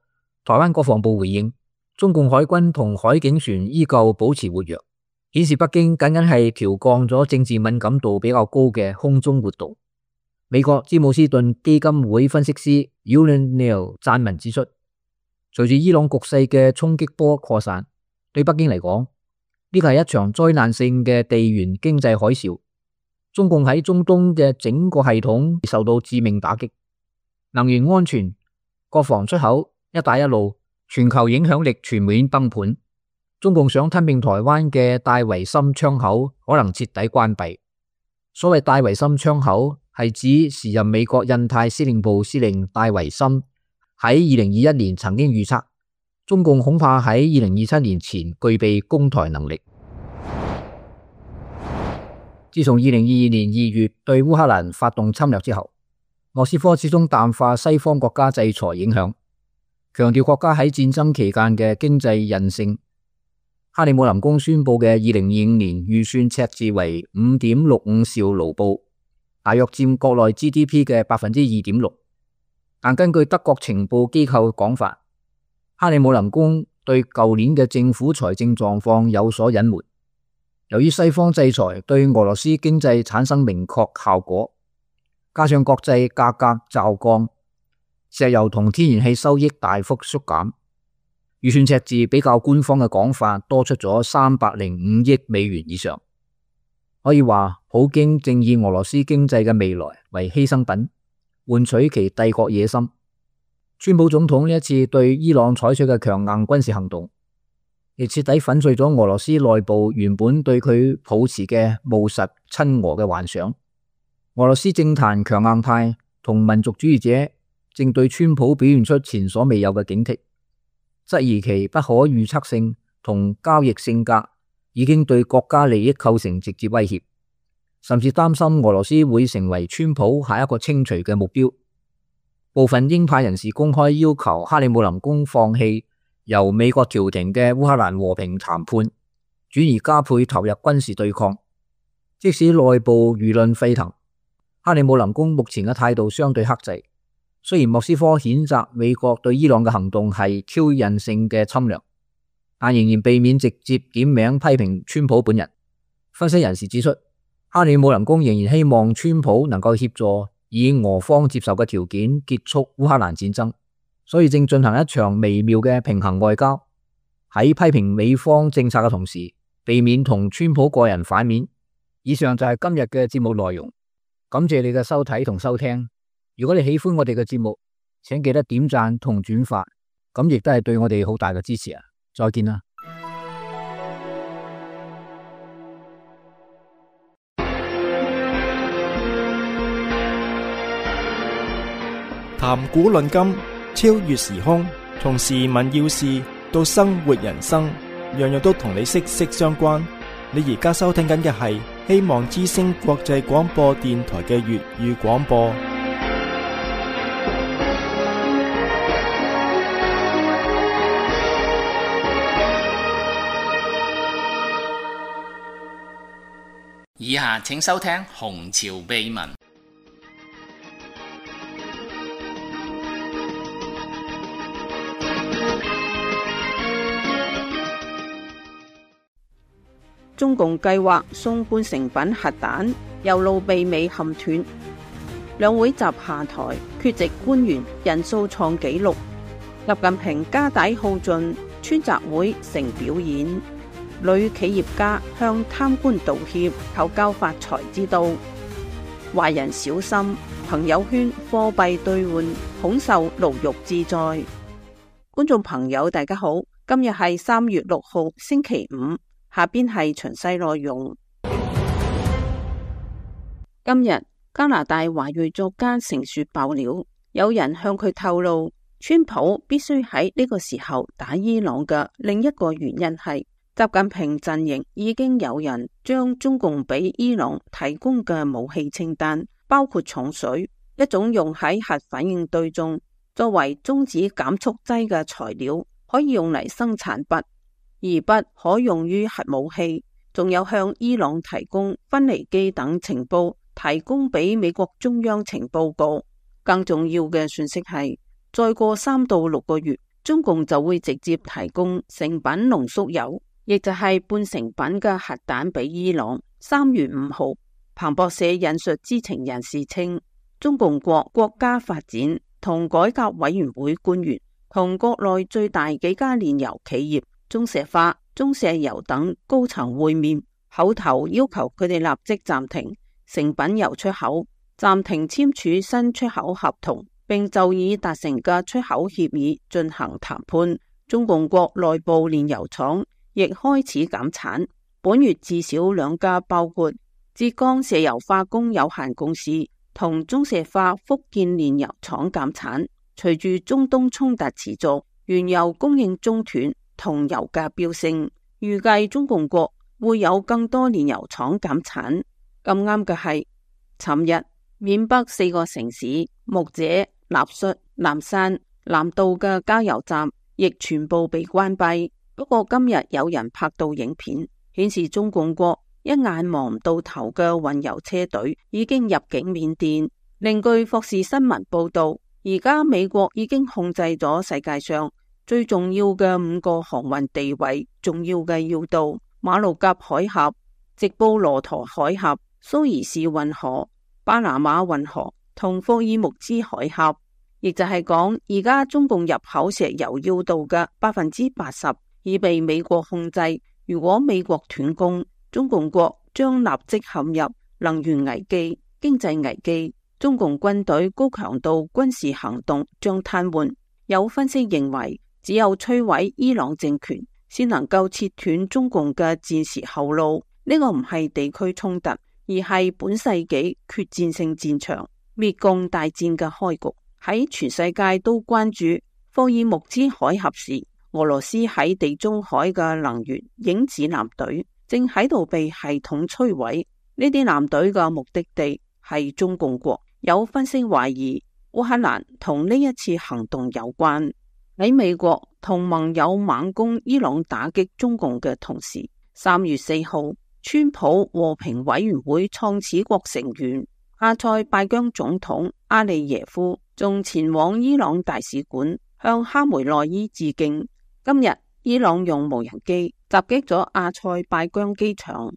台灣國防部回應，中共海軍同海警船依舊保持活躍，顯示北京僅僅係調降咗政治敏感度比較高嘅空中活動。美國詹姆斯頓基金會分析師 Yulian Neal 撰文指出，隨住伊朗局勢嘅衝擊波擴散，對北京嚟講，呢個係一場災難性嘅地緣經濟海嘯。中共喺中東嘅整個系統受到致命打擊，能源安全、國防出口、一帶一路，全球影響力全面崩盤。中共想吞併台灣嘅戴維森窗口可能徹底關閉。所謂戴維森窗口係指時任美國印太司令部司令戴維森喺二零二一年曾經預測，中共恐怕喺二零二七年前具備攻台能力。自從二零二二年二月對烏克蘭發動侵略之後，莫斯科始終淡化西方國家制裁影響，強調國家喺戰爭期間嘅經濟韌性。克里姆林宮宣布嘅二零二五年預算赤字為五點六五兆盧布，大約佔國內 G D P 嘅百分之二點六。但根據德國情報機構講法，克里姆林宮對舊年嘅政府財政狀況有所隱瞞。由於西方制裁對俄羅斯經濟產生明確效果，加上國際價格驟降，石油同天然氣收益大幅縮減，預算赤字比較官方嘅講法多出咗三百零五億美元以上。可以話，普京正以俄羅斯經濟嘅未來為犧牲品，換取其帝國野心。川普總統呢一次對伊朗採取嘅強硬軍事行動，亦徹底粉碎咗俄羅斯內部原本對佢抱持嘅務實親俄嘅幻想。俄羅斯政壇強硬派同民族主義者正對川普表現出前所未有嘅警惕，質疑其不可預測性同交易性格已經對國家利益構成直接威脅，甚至擔心俄羅斯會成為川普下一個清除嘅目標。部分鷹派人士公開要求克里姆林宮放棄由美國調停嘅烏克蘭和平談判，轉而加倍投入軍事對抗。即使內部輿論沸騰，克里姆林宮目前嘅態度相對克制。雖然莫斯科譴責美國對伊朗嘅行動係挑釁性嘅侵略，但仍然避免直接點名批評川普本人。分析人士指出，克里姆林宮仍然希望川普能夠協助以俄方接受嘅條件結束烏克蘭戰爭，所以正進行一場微妙嘅平衡外交，喺批評美方政策嘅同時，避免同川普個人反面。以上就係今日嘅節目內容，感謝你嘅收睇同收聽。如果你喜歡我哋嘅節目，請記得點讚同轉發，咁亦都係對我哋好大嘅支持啊！再見啦！談古論今，超越時空，從時聞要事到生活人生，樣樣都同你息息相關。你而家收聽緊嘅係希望之聲國際廣播電台嘅粵語廣播。以下請收聽《紅潮秘聞》。中共計劃送半成品核彈，右路被美冚斷。兩會習下台，缺席官員人數創紀錄。習近平家底耗盡，川習會成表演。女企業家向貪官道歉，求教發財之道。壞人小心，朋友圈貨幣兌換恐受牢獄之災。觀眾朋友大家好，今日係三月六號星期五。下邊係詳細內容。今日加拿大華裔作家成雪爆料，有人向佢透露，川普必須喺呢個時候打伊朗嘅另一個原因係，習近平陣營已經有人將中共俾伊朗提供嘅武器清單，包括重水，一種用喺核反應堆中作為中子減速劑嘅材料，可以用嚟生產鈈。而不可用於核武器，仲有向伊朗提供分離機等情報，提供俾美國中央情報局。更重要嘅信息係，再過三到六個月，中共就會直接提供成品濃縮鈾，亦就係半成品嘅核彈俾伊朗。三月五號，彭博社引述知情人士稱，中共國國家發展同改革委員會官員同國內最大幾家煉油企業中石化、中石油等高層會面，口頭要求佢哋立即暫停成品油出口，暫停簽署新出口合同，並就已達成嘅出口協議進行談判。中共國內部煉油廠亦開始減產，本月至少兩家，包括浙江石油化工有限公司同中石化福建煉油廠減產。隨住中東衝突持續，原油供應中斷同油價飆升，預計中共國會有更多煉油廠減產。咁啱嘅係，尋日緬北四個城市木姐、納率、南山、南道嘅加油站亦全部被關閉。不過今日有人拍到影片，顯示中共國一眼望唔到頭嘅運油車隊已經入境緬甸。另據霍士新聞報道，而家美國已經控制咗世界上最重要嘅五個航運地位重要嘅要道：馬六甲海峽、直布羅陀海峽、蘇伊士運河、巴拿馬運河同霍爾木茲海峽。亦就係講，而家中共入口石油要道嘅百分之八十已被美國控制。如果美國斷供，中共國將立即陷入能源危機、經濟危機。中共軍隊高強度軍事行動將癱瘓。有分析認為，只有摧毀伊朗政權，先能夠切斷中共嘅戰時後路。呢個唔係地區衝突，而係本世紀決戰性戰場滅共大戰嘅開局。喺全世界都關注霍爾木茲海峽時，俄羅斯喺地中海嘅能源影子艦隊正喺度被系統摧毀。呢啲艦隊嘅目的地係中共國。有分析懷疑烏克蘭同呢一次行動有關。喺美國同盟友猛攻伊朗打擊中共嘅同時，三月四號，川普和平委員會創始國成員阿塞拜疆總統阿利耶夫仲前往伊朗大使館向哈梅內伊致敬。今日伊朗用無人機襲擊咗阿塞拜疆機場。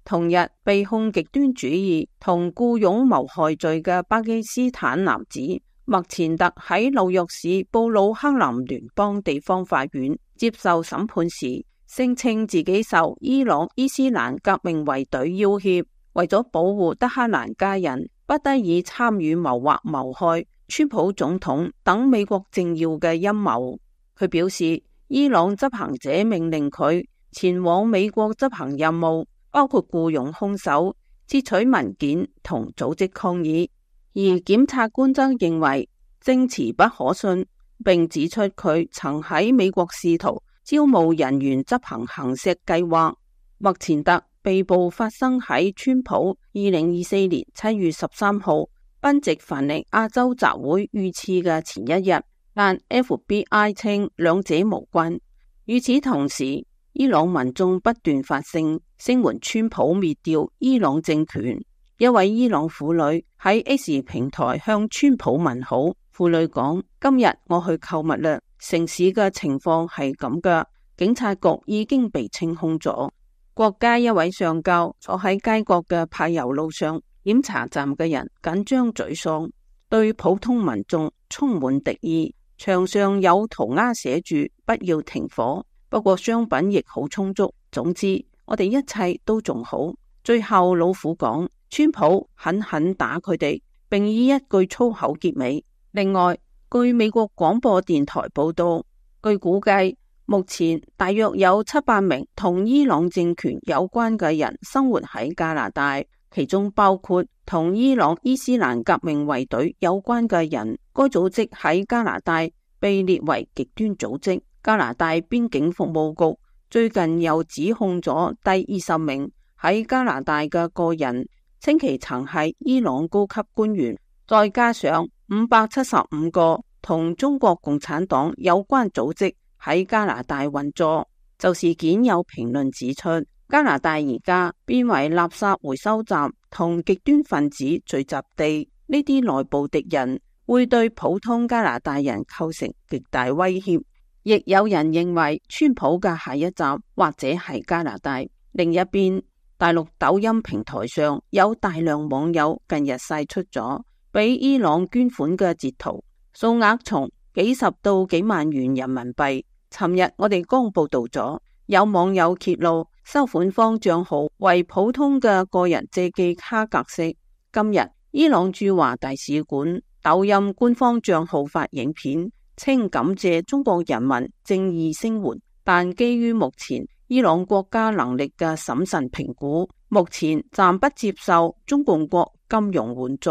同日被控極端主義同雇傭謀害罪嘅巴基斯坦男子麥前特喺紐約市布魯克林聯邦地方法院接受審判時，聲稱自己受伊朗伊斯蘭革命衛隊要挾，為咗保護德黑蘭家人，不得已參與謀劃謀害川普總統等美國政要嘅陰謀。佢表示，伊朗執行者命令佢前往美國執行任務，包括僱傭兇手、竊取文件同組織抗議。而檢察官則認為證詞不可信，並指出佢曾喺美國試圖招募人員執行行刺計劃。麥前特被捕發生喺川普二零二四年七月十三號賓夕凡尼亞州集會遇刺嘅前一日，但 F B I 稱兩者無關。與此同時，伊朗民眾不斷發聲，聲援川普滅掉伊朗政權。一位伊朗婦女喺 X 平台向川普問好，婦女講：今日我去購物啦，城市嘅情況係咁㗎，警察局已經被清空咗。國家一位上校坐喺街角嘅柏油路上，檢查站嘅人緊張沮喪，對普通民眾充滿敵意。牆上有塗鴉寫住不要停火，不過商品亦好充足。總之我哋一切都仲好。最後老虎講，川普狠狠打佢哋，並以一句粗口結尾。另外，據美國廣播電台報道，據估計目前大約有七百名同伊朗政權有關嘅人生活喺加拿大，其中包括同伊朗伊斯蘭革命衛隊有關嘅人。該組織喺加拿大被列為極端組織。加拿大邊境服務局最近又指控咗第二十名喺加拿大嘅個人，稱其曾係伊朗高級官員，再加上五百七十五個同中國共產黨有關組織喺加拿大運作。就事件有評論指出，加拿大而家變為垃圾回收站同極端分子聚集地，呢啲內部敵人會對普通加拿大人構成極大威脅。亦有人認為川普嘅下一站或者係加拿大。另一邊，大陸抖音平台上有大量網友近日晒出咗俾伊朗捐款嘅截圖，數額從幾十到幾萬元人民幣。尋日我哋剛報道咗，有網友揭露收款方賬號為普通嘅個人借記卡格式。今日伊朗駐華大使館抖音官方賬號發影片，稱感謝中國人民正義聲援，但基於目前伊朗國家能力嘅審慎評估，目前暫不接受中共國金融援助。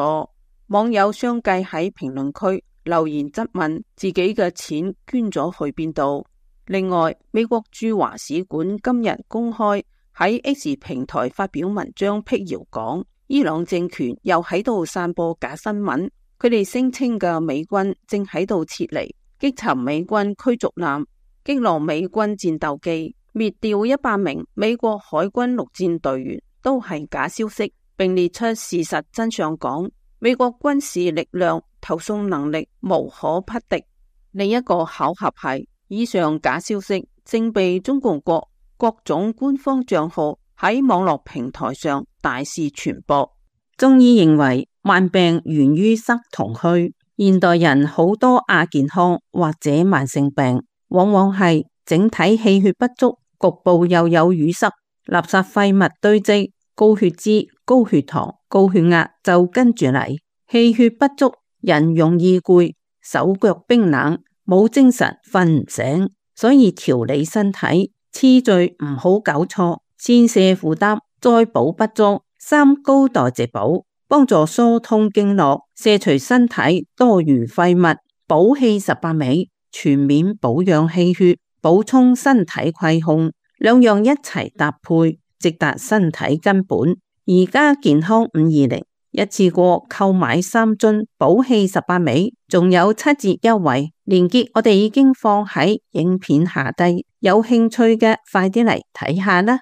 網友相繼喺評論區留言質問自己嘅錢捐咗去邊度。另外，美國駐華使館今日公開喺 X 平台發表文章辟謠，講伊朗政權又喺度散播假新聞。佢哋聲稱嘅美軍正喺度撤離，擊沉美軍驅逐艦，擊落美軍戰鬥機，滅掉一百名美國海軍陸戰隊員，都係假消息，並列出事實真相，講美國軍事力量投送能力無可匹敵。另一個巧合係，以上假消息正被中共國各種官方賬號喺網絡平台上大肆傳播。中醫認為，慢病源於塞同虛，現代人好多亞健康或者慢性病，往往係整體氣血不足，局部又有淤塞，垃圾廢物堆積，高血脂、高血糖、高血壓就跟住嚟。氣血不足，人容易攰，手腳冰冷，冇精神，瞓唔醒。所以調理身體，次序唔好搞錯，先瀉負擔，再補不足，三高代謝補，幫助疏通經絡，卸除身體多餘廢物，補氣十八味，全面保養氣血，補充身體虧空，兩樣一齊搭配，直達身體根本。而家健康五二零一次過購買三樽補氣十八味，仲有七折優惠，鏈接我哋已經放喺影片下低，有興趣嘅快啲嚟睇下啦。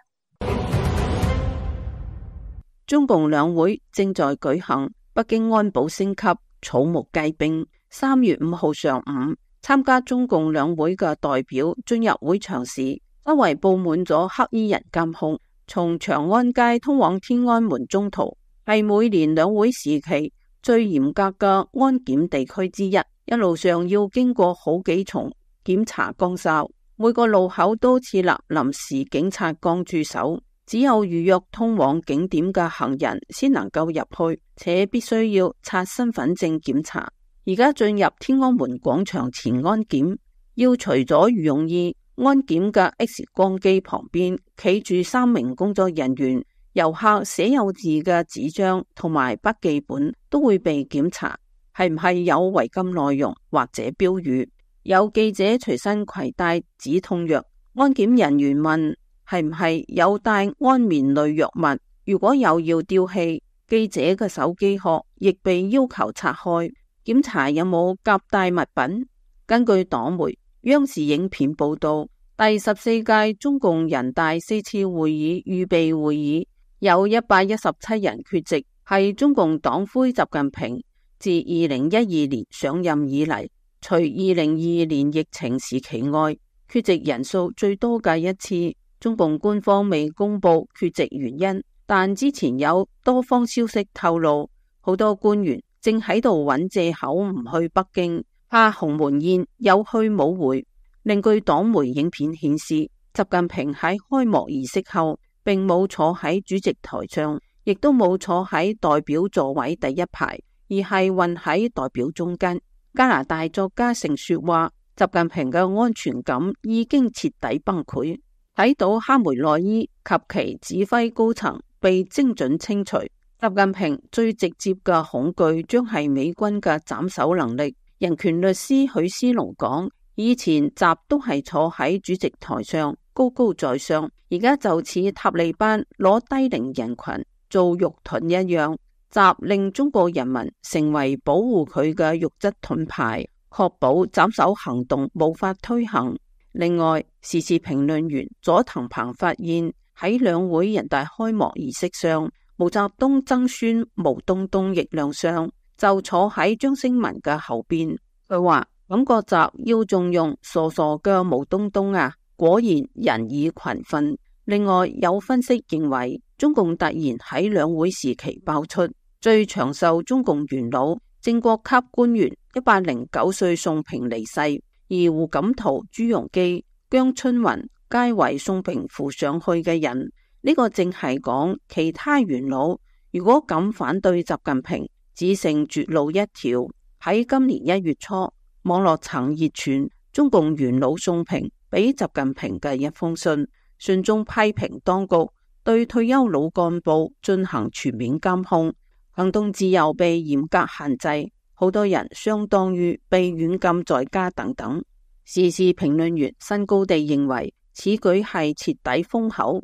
中共兩會正在舉行，北京安保升級，草木皆兵。三月五號上午，參加中共兩會嘅代表進入會場時，周圍佈滿咗黑衣人監控。從長安街通往天安門中途，係每年兩會時期最嚴格嘅安檢地區之一，一路上要經過好幾重檢查崗哨，每個路口都設立臨時警察崗駐守，只有預約通往景點嘅行人先能夠入去，且必須要刷身份證檢查。而家進入天安門廣場前安檢，要除咗羽絨衣，安檢嘅 X 光機旁邊企住三名工作人員，遊客寫有字嘅紙張同埋筆記本都會被檢查，係唔係有違禁內容或者標語。有記者隨身攜帶止痛藥，安檢人員問係唔係有帶安眠類藥物，如果有要丟棄。記者嘅手機殼亦被要求拆開，檢查有冇夾帶物品。根據黨媒央視影片報道，第十四屆中共人大四次會議預備會議有一百一十七人缺席，係中共黨魁習近平自二零一二年上任以嚟，除二零二二年疫情時期外，缺席人數最多嘅一次。中共官方未公布缺席原因，但之前有多方消息透露，好多官員正喺度揾借口唔去北京，怕鴻門宴有去冇回。另據黨媒影片顯示，習近平喺開幕儀式後並冇坐喺主席台上，亦都冇坐喺代表座位第一排，而係混喺代表中間。加拿大作家盛雪話，習近平嘅安全感已經徹底崩潰，睇到哈梅內伊及其指揮高層被精準清除，習近平最直接嘅恐懼將係美軍嘅斬首能力。人權律師許思龍講，以前習都係坐喺主席台上，高高在上，而家就似塔利班攞低齡人群做肉盾一樣。習令中國人民成為保護佢嘅肉質盾牌，確保斬首行動無法推行。另外，時事評論員佐藤鵬發現喺兩會人大開幕儀式上，毛澤東曾孫毛東東亦亮相，就坐喺張星文嘅後邊。佢話感覺習要重用傻傻嘅毛東東啊，果然人以群分。另外有分析認為，中共突然喺兩會時期爆出最長壽中共元老正國級官員一百零九歲宋平離世，而胡錦濤、朱鎔基、姜春雲皆為宋平扶上去嘅人。呢、這個正係講其他元老如果敢反對習近平，只剩絕路一條。喺今年一月初，網絡曾熱傳中共元老宋平俾習近平嘅一封信，信中批評當局對退休老幹部進行全面監控，行動自由被嚴格限制，好多人相當於被軟禁在家等等。時事評論員新高地認為，此舉係徹底封口。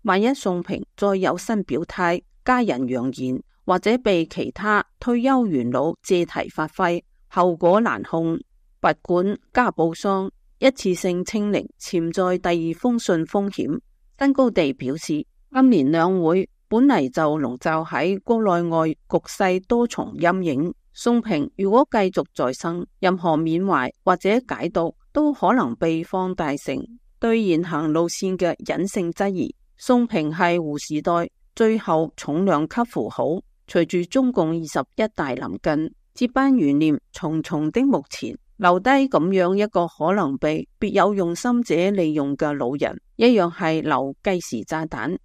萬一宋平再有新表態，家人揚言，或者被其他退休元老借題發揮，後果難控。拔管加布桑一次性清零潛在第二封信風險。新高地表示，今年兩會本嚟就籠罩喺國內外局勢多重陰影，宋平如果繼續再生，任何緬懷或者解讀都可能被放大成對現行路線嘅隱性質疑。宋平係胡時代最後重量級符號，隨住中共二十一大臨近，接班懸念重重的目前，留低咁樣一個可能被別有用心者利用嘅老人，一樣係留計時炸彈。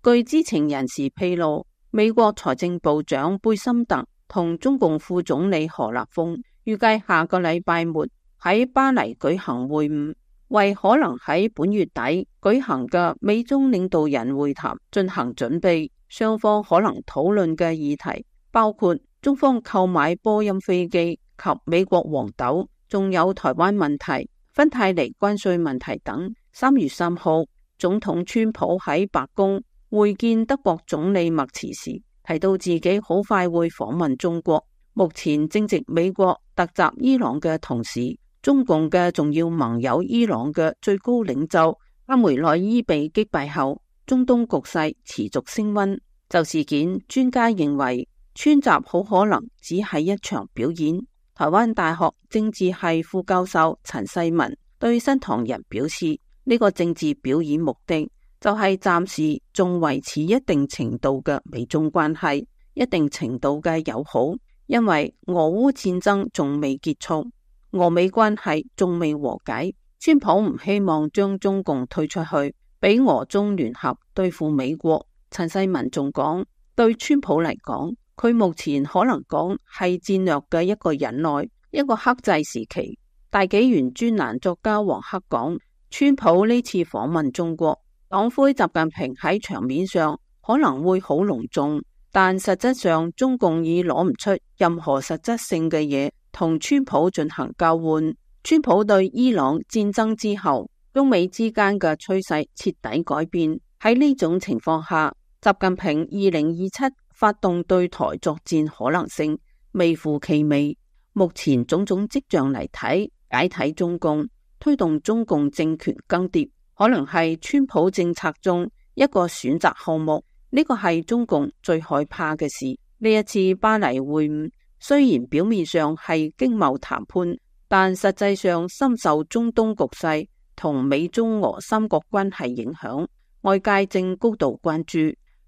據知情人士披露，美國財政部長貝森特同中共副總理何立峰預計下個禮拜末喺巴黎舉行會晤，為可能喺本月底舉行嘅美中領導人會談進行準備。雙方可能討論嘅議題包括中方購買波音飛機及美國黃豆，仲有台灣問題、芬太尼關稅問題等。三月三號，總統川普喺白宮會見德國總理默茨時，提到自己好快會訪問中國。目前正值美國突襲伊朗嘅同時，中共嘅重要盟友伊朗嘅最高領袖阿梅內伊被擊敗後，中東局勢持續升溫。就事件，專家認為川習好可能只係一場表演。台灣大學政治系副教授陳世文對新唐人表示，呢個政治表演目的就係暫時仲維持一定程度嘅美中關係，一定程度嘅友好，因為俄烏戰爭仲未結束，俄美關係仲未和解。川普唔希望將中共推出去，俾俄中聯合對付美國。陳世文仲講，對川普嚟講，佢目前可能講係戰略嘅一個忍耐，一個克制時期。大紀元專欄作家黃克講，川普呢次訪問中國，黨魁習近平喺場面上可能會好隆重，但實質上中共已攞唔出任何實質性嘅嘢同川普進行交換。川普對伊朗戰爭之後，中美之間嘅趨勢徹底改變。喺呢種情況下，習近平二零二七發動對台作戰可能性微乎其微。目前種種跡象嚟睇，解體中共、推動中共政權更迭，可能係川普政策中一個選擇項目。呢個係中共最害怕嘅事。呢一次巴黎會晤雖然表面上係經貿談判，但實際上深受中東局勢同美中俄三國關係影響。外界正高度關注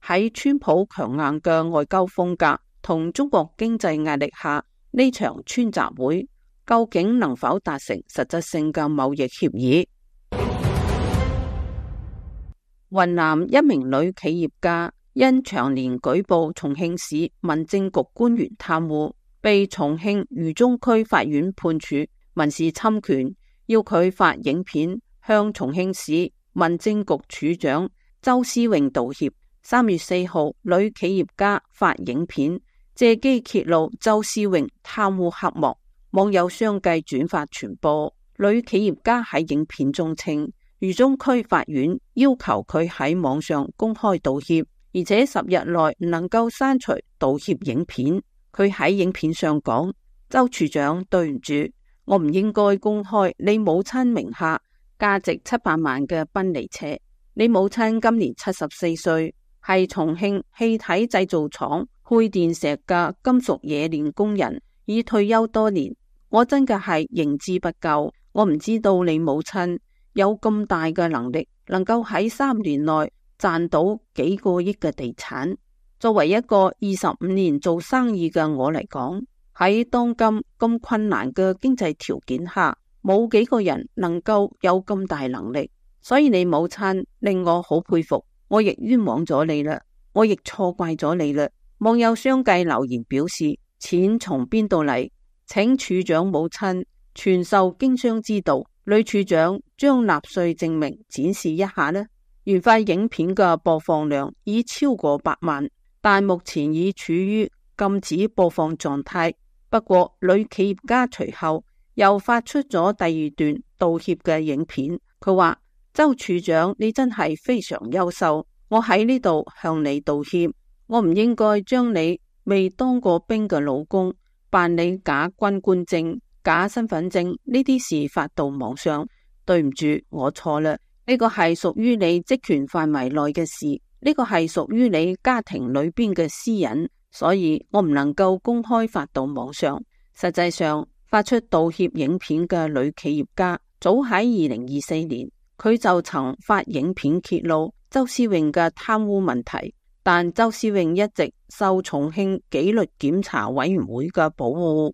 喺川普強硬嘅外交風格同中國經濟壓力下，呢場川習會究竟能否達成實質性嘅貿易協議？雲南一名女企業家因長年舉報重慶市民政局官員貪污，被重慶渝中區法院判處民事侵權，要佢發影片向重慶市民政局處長周思榮道歉。三月四號，女企業家發影片借機揭露周思榮貪污黑幕，網友相繼轉發傳播。女企業家喺影片中稱，渝中區法院要求佢喺網上公開道歉，而且十日內唔能夠刪除道歉影片。佢喺影片上講：周處長，對唔住，我唔應該公開你母親名下價值七百萬嘅賓利車。你母親今年七十四歲，係重慶氣體製造廠配電石嘅金屬冶煉工人，已退休多年。我真嘅係認知不夠，我唔知道你母親有咁大嘅能力，能夠喺三年內賺到幾個億嘅地產。作為一個二十五年做生意嘅我嚟講，喺當今咁困難嘅經濟條件下，冇幾個人能夠有咁大能力。所以你母親令我好佩服，我亦冤枉咗你啦，我亦錯怪咗你啦。網友相繼留言表示，錢從邊度嚟？請處長母親傳授經商之道。女處長將納稅證明展示一下呢。原發影片嘅播放量已超過百萬，但目前已處於禁止播放狀態。不過女企業家隨後又發出咗第二段道歉嘅影片，佢話：周處長，你真係非常優秀，我喺呢度向你道歉，我唔應該將你未當過兵嘅老公辦理假軍官證、假身份證呢啲事發到網上，對唔住，我錯啦，呢個係屬於你職權範圍內嘅事，呢個係屬於你家庭裏邊嘅私隱，所以我唔能夠公開發到網上。實際上，發出道歉影片嘅女企業家，早喺二零二四年，佢就曾發影片揭露周思榮嘅貪污問題，但周思榮一直受重慶紀律檢查委員會嘅保護。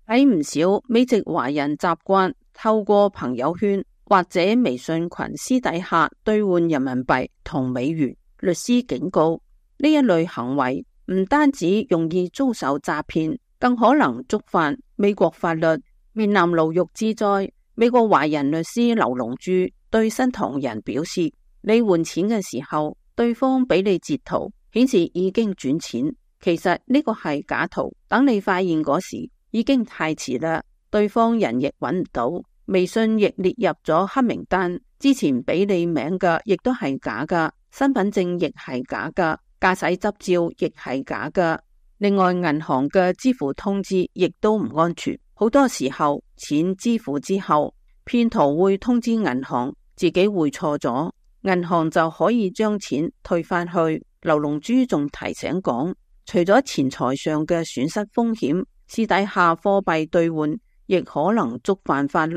喺唔少美籍華人習慣透過朋友圈或者微信群私底下兌換人民幣同美元。律師警告，呢一類行為唔單止容易遭受詐騙，更可能觸犯美國法律，面臨牢獄之災。美國華人律師劉龍柱對新唐人表示，你換錢嘅時候，對方俾你截圖，顯示已經轉錢，其實呢個係假圖，等你發現嗰時已經太遲啦，對方人亦揾唔到，微信亦列入咗黑名單，之前俾你名嘅亦都係假噶，身份證亦係假噶，駕駛執照亦係假噶。另外，銀行嘅支付通知亦都唔安全，好多時候錢支付之後，騙徒會通知銀行自己匯錯咗，銀行就可以將錢退返去。劉龍珠仲提醒講，除咗錢財上嘅損失風險，私底下貨幣兌換亦可能觸犯法律。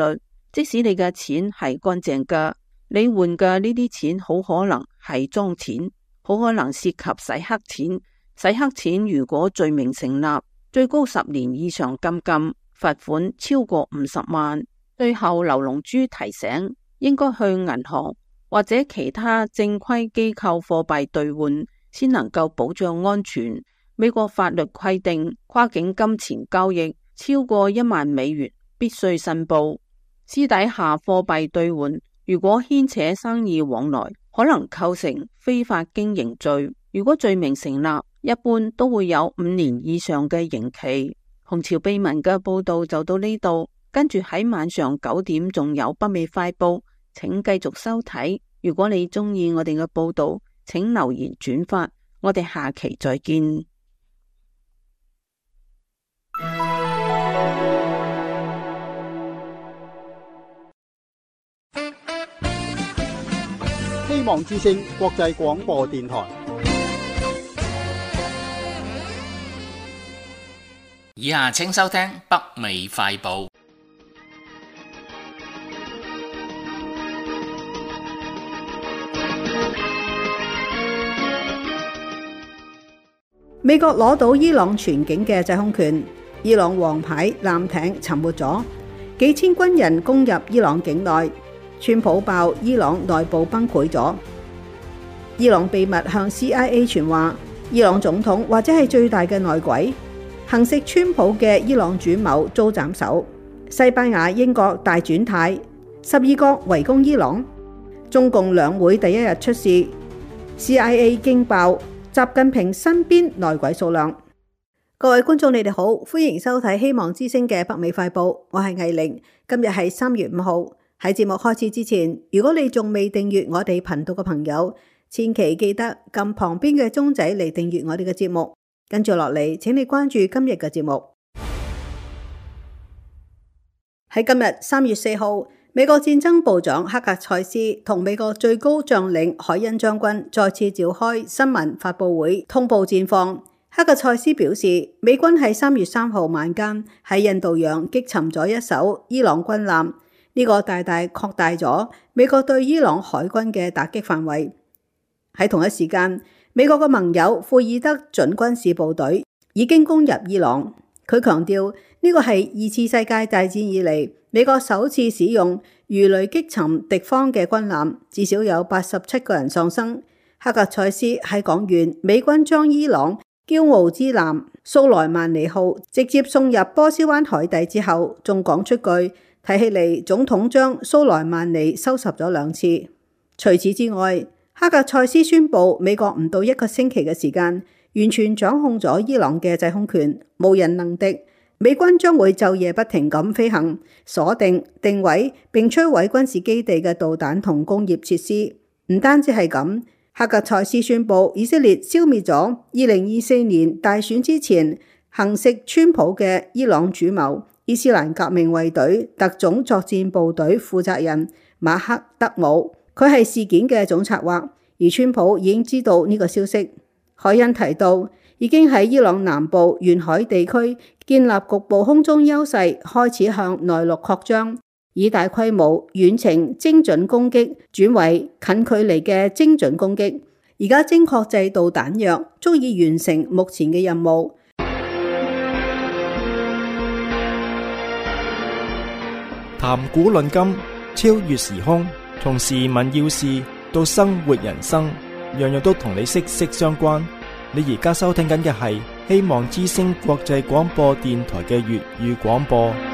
即使你嘅錢係乾淨嘅，你換嘅呢啲錢好可能係贓錢，好可能涉及洗黑錢。洗黑錢如果罪名成立，最高十年以上監禁，罰款超過五十萬。最後，劉龍珠提醒，應該去銀行或者其他正規機構貨幣兌換，先能夠保障安全。美國法律規定，跨境金錢交易超過一萬美元必須申報。私底下貨幣兌換如果牽扯生意往來，可能構成非法經營罪。如果罪名成立，一般都會有五年以上嘅刑期。紅潮秘聞嘅報道就到呢度，跟住喺晚上九點仲有北美快報，請繼續收睇。如果你中意我哋嘅報道，請留言轉發，我哋下期再見。希望之聲國際廣播電台。以下請收聽北美快報。美國攞到伊朗全境嘅制空權，伊朗王牌艦艇沉沒咗，幾千軍人攻入伊朗境內，川普爆伊朗內部崩潰咗。伊朗秘密向 C I A 傳話，伊朗總統或者係最大嘅內鬼。行刺川普嘅伊朗主謀遭斬首，西班牙、英國大轉態，十二國圍攻伊朗。中共兩會第一日出事 ，C I A 驚爆習近平身邊內鬼數量。各位觀眾，你哋好，歡迎收睇希望之聲嘅北美快報，我係藝玲。今日係三月五號。喺節目開始之前，如果你仲未訂閱我哋頻道嘅朋友，千祈記得撳旁邊嘅鐘仔嚟訂閱我哋嘅節目。跟住落嚟，請你關注今日嘅節目。喺今日三月四號，美國戰爭部長克格塞斯同美國最高將領海恩將軍再次召開新聞發佈會，通報戰況。克格塞斯表示，美軍喺三月三號晚間喺印度洋擊沉咗一艘伊朗軍艦，呢個大大擴大咗美國對伊朗海軍嘅打擊範圍。喺同一時間，美國嘅盟友庫爾德準軍事部隊已經攻入伊朗。佢強調呢個係二次世界大戰以嚟美國首次使用魚雷擊沉敵方嘅軍艦，至少有八十七個人喪生。克格塞斯喺講完美軍將伊朗驕傲之艦蘇萊曼尼號直接送入波斯灣海底之後，仲講出句睇起嚟總統將蘇萊曼尼收拾咗兩次。除此之外，克格塞斯宣布，美國唔到一個星期嘅時間，完全掌控咗伊朗嘅制空權，無人能敵。美軍將會晝夜不停咁飛行，鎖定、定位並摧毀軍事基地嘅導彈同工業設施。唔單止係咁，克格塞斯宣布，以色列消滅咗二零二四年大選之前行刺川普嘅伊朗主謀伊斯蘭革命衛隊特種作戰部隊負責人馬克德姆。佢係事件嘅總策劃，而川普已經知道呢個消息。海恩提到，已經喺伊朗南部沿海地區建立局部空中優勢，開始向內陸擴張，以大規模遠程精準攻擊轉為近距離嘅精準攻擊。而家精確制導彈藥足以完成目前嘅任務。談古論今，超越時空。從時聞要事到生活人生，樣樣都同你息息相關。你而家收聽緊嘅係希望之聲國際廣播電台嘅粵語廣播。